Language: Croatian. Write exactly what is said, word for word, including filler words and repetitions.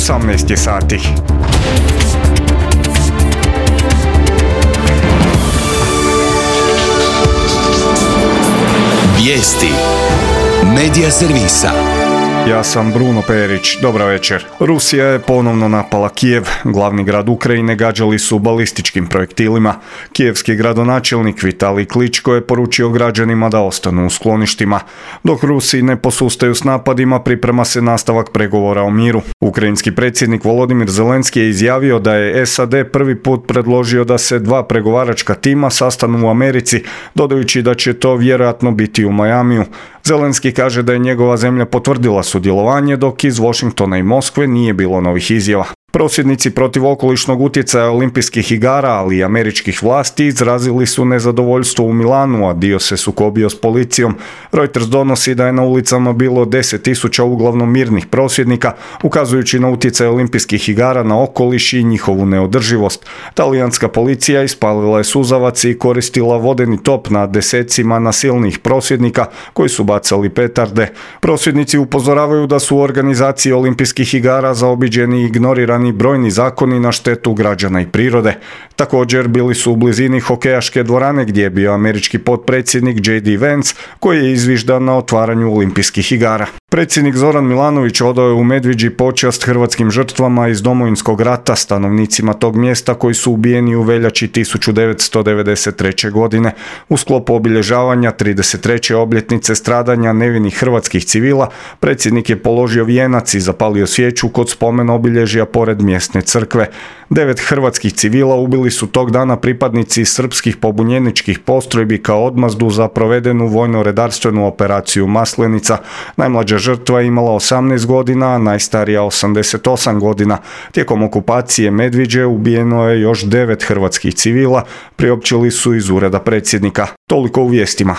osamnaest je sati. Vijesti Medija servisa. Ja sam Bruno Perić, dobra večer. Rusija je ponovno napala Kijev, glavni grad Ukrajine gađali su balističkim projektilima. Kijevski gradonačelnik Vitalij Kličko je poručio građanima da ostanu u skloništima. Dok Rusi ne posustaju s napadima, priprema se nastavak pregovora o miru. Ukrajinski predsjednik Volodimir Zelenski je izjavio da je S A D prvi put predložio da se dva pregovaračka tima sastanu u Americi, dodajući da će to vjerojatno biti u Majamiju. Zelenski kaže da je njegova zemlja potvrdila sudjelovanje, dok iz Washingtona i Moskve nije bilo novih izjava. Prosvjednici protiv okolišnog utjecaja olimpijskih igara, ali i američkih vlasti, izrazili su nezadovoljstvo u Milanu, a dio se sukobio s policijom. Reuters donosi da je na ulicama bilo deset tisuća uglavnom mirnih prosvjednika, ukazujući na utjecaj olimpijskih igara na okoliš i njihovu neodrživost. Talijanska policija ispalila je suzavac i koristila vodeni top na desecima nasilnih prosvjednika koji su bacali petarde. Prosvjednici upozoravaju da su u organizaciji olimpijskih igara zaobiđeni i ignorirani brojni zakoni na štetu građana i prirode. Također bili su u blizini hokejaške dvorane gdje je bio američki potpredsjednik J D Vance koji je izviždan na otvaranju olimpijskih igara. Predsjednik Zoran Milanović odao je u Medviđi počast hrvatskim žrtvama iz Domovinskog rata, stanovnicima tog mjesta koji su ubijeni u veljači tisuću devetsto devedeset treće. godine. U sklopu obilježavanja trideset treće obljetnice stradanja nevinih hrvatskih civila, predsjednik je položio vijenac i zapalio svijeću kod spomen obilježja pored mjesne crkve. Devet hrvatskih civila ubili su tog dana pripadnici srpskih pobunjeničkih postrojbi kao odmazdu za provedenu vojno-redarstvenu operaciju Maslenica. Najmlađa žrtva je imala osamnaest godina, a najstarija osamdeset osam godina. Tijekom okupacije Medviđe ubijeno je još devet hrvatskih civila, priopćili su iz ureda predsjednika. Toliko u vijestima.